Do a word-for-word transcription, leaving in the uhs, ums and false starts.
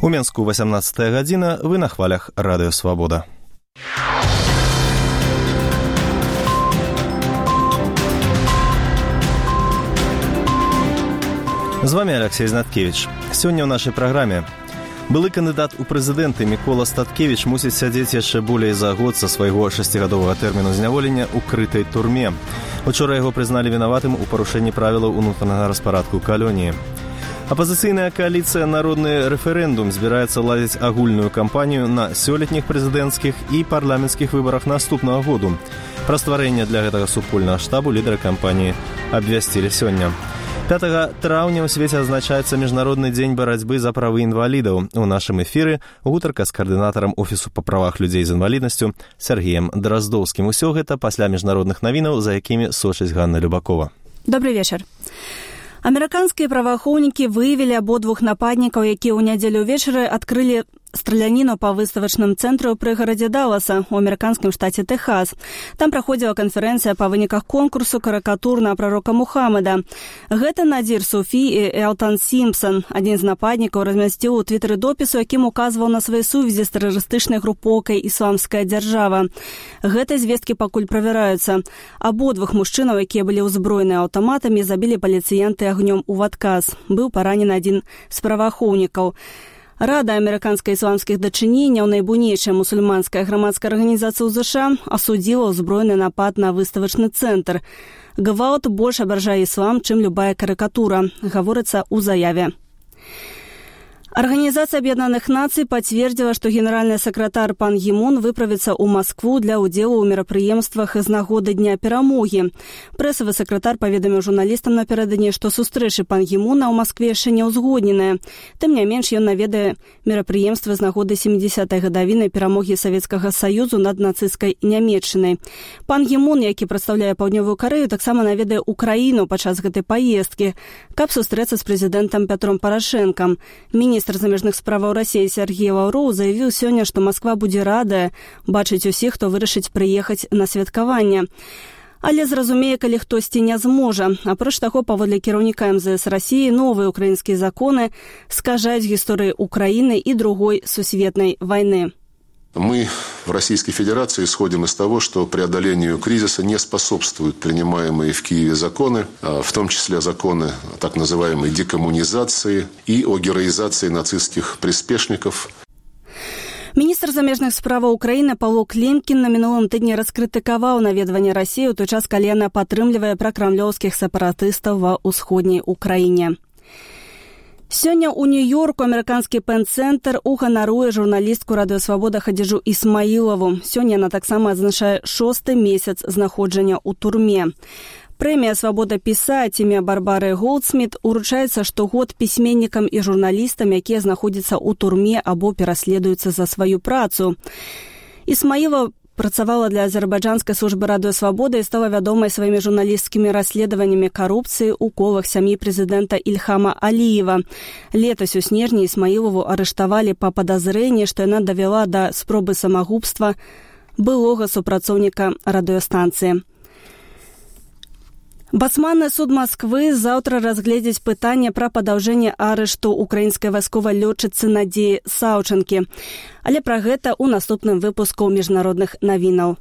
У Менску васямнаццатая гадзіна, вы на хвалях Радыё Свабода. З вами Алексей Знаткевич. Сёння ў нашай праграме. Былы кандыдат у прэзідэнты Мікола Статкевіч мусіць сядзець яшчэ болей за год са свайго шасцігадовага тэрміну зняволення ў крытай турме. Учора яго прызналі вінаватым у парушэнні правілаў унутранага распарадку калоніі. Апазіцыйная кааліцыя «Народны рэферэндум» збіраецца ладзіць агульную кампанію на сёлетніх прэзідэнцкіх і парламенцкіх выбарах наступнага году. Пра стварэнне для гэтага супольнага штабу лідары кампаніі абвясцілі сёння. пятага траўня ў свеце адзначаецца Міжнародны дзень барацьбы за правы інвалідаў. У нашым эфіры гутарка з каардынатарам Офісу па правах людзей з інваліднасцю Сергеем Драздоўскім. Усё гэта пасля міжнародных навінаў, за якімі сочыць Ганна Любакова. Добрый вечар. Амерыканскія праваахоўнікі выявілі абодвух нападнікаў, якія ў нядзелю ўвечары адкрылі страляніну па выставачным цэнтры ў прыгарадзе Далласа у амерыканскім штаце Тэхас. Там праходзіла канферэнцыя па выніках конкурсу карыкатур на прарока Мухаммада. Гэта Надзір Суфі і Элтан Сімпсон. Адзін з нападнікаў размясціў у твітары допісу, якім указваў на свае сувязі з тэрарыстычнай групоўкай «Ісламская дзяржава». Гэтыя звесткі пакуль правяраюцца. Абодвух мужчынаў, якія былі ўзброеныя аўтаматамі, забілі паліцыянты агнём у адказ. Быў паранены адзін з праваахоўнікаў. Рада амерыканскай ісламскіх дачыненняў, найбуйнейшая мусульманская грамадская арганізацыя ў ЗША, асудзіла ўзброены напад на выставачны цэнтр. Гвалт больш абражае іслам, чым любая карыкатура, гаворыцца ў заяве. Арганізацыя Аб'яднаных Нацый пацвердзіла, што генеральны сакратар Пан Гі Мун выправіцца ў Маскву для ўдзелу ў мерапрыемствах з нагоды Дня перамогі. Прэсавы сакратар паведаміў журналістам напярэдадні, што сустрэчы Пан Гі Муна ў Маскве яшчэ не ўзгодненыя. Тым не менш, ён наведае мерапрыемствы з нагоды сямідзесятай гадавіны перамогі Савецкага Саюзу над нацысцкай Нямецчынай. Пан Гі Мун, які прадстаўляе Паўднёвую Карэю, таксама наведае ўкраіну падчас гэтай паездкі, каб сустрэцца з прэзідэнтам Пятром Парашэнкам. Міністр Міністр замежных справаў Расіі Сергей Лаўроў заявіў сёння, што Масква будзе радая бачыць усіх, хто вырашыць прыехаць на святкаванне. Але зразумее, калі хтосьці не зможа. Апроч таго, паводле кіраўніка эм зэ эс Расіі, новыя украінскія законы скажаюць гісторыі Украіны і другой сусветнай вайны. Мы в Российской Федерации исходим из того, что преодолению кризиса не способствуют принимаемые в Киеве законы, в том числе законы так называемой декоммунизации и о героизации нацистских приспешников. Міністр замежных справаў Украіны Павло Клімкін на мінулым тыдні раскрытыкаваў наведванне Расіі ў той час, калі яна падтрымлівае пракрамлёўскіх сепаратыстаў ва ўсходняй Украіне. Сёння ў Нью-Йорку амерыканскі пен-цэнтр уганаруе журналістку Радыё Свабода Хадзіджу Ісмаілаву. Сёння яна таксама адзначае шосты месяц знаходжання ў турме. Прэмія «Свабода пісаць» імя Барбары Голдсміт уручаецца штогод пісьменнікам і журналістам, якія знаходзяцца ў турме або пераследуюцца за сваю працу. Ісмаілова працавала для азербайджанскай службы Радыё Свабода і стала вядомай сваімі журналісцкімі расследаваннямі карупцыі ў колах сям'і прэзідэнта Ільхама Аліева. Летась у снежні Ісмаілову арыштавалі па падазрэнні, што яна давяла да спробы самагубства былога супрацоўніка радыёстанцыі. Басманны суд Масквы заўтра разгледзіць пытанне пра падаўжэнне арышту украінскай вайсковай лётчыцы Надзеі Саўчанкі. Але пра гэта ў наступным выпуску міжнародных навінаў.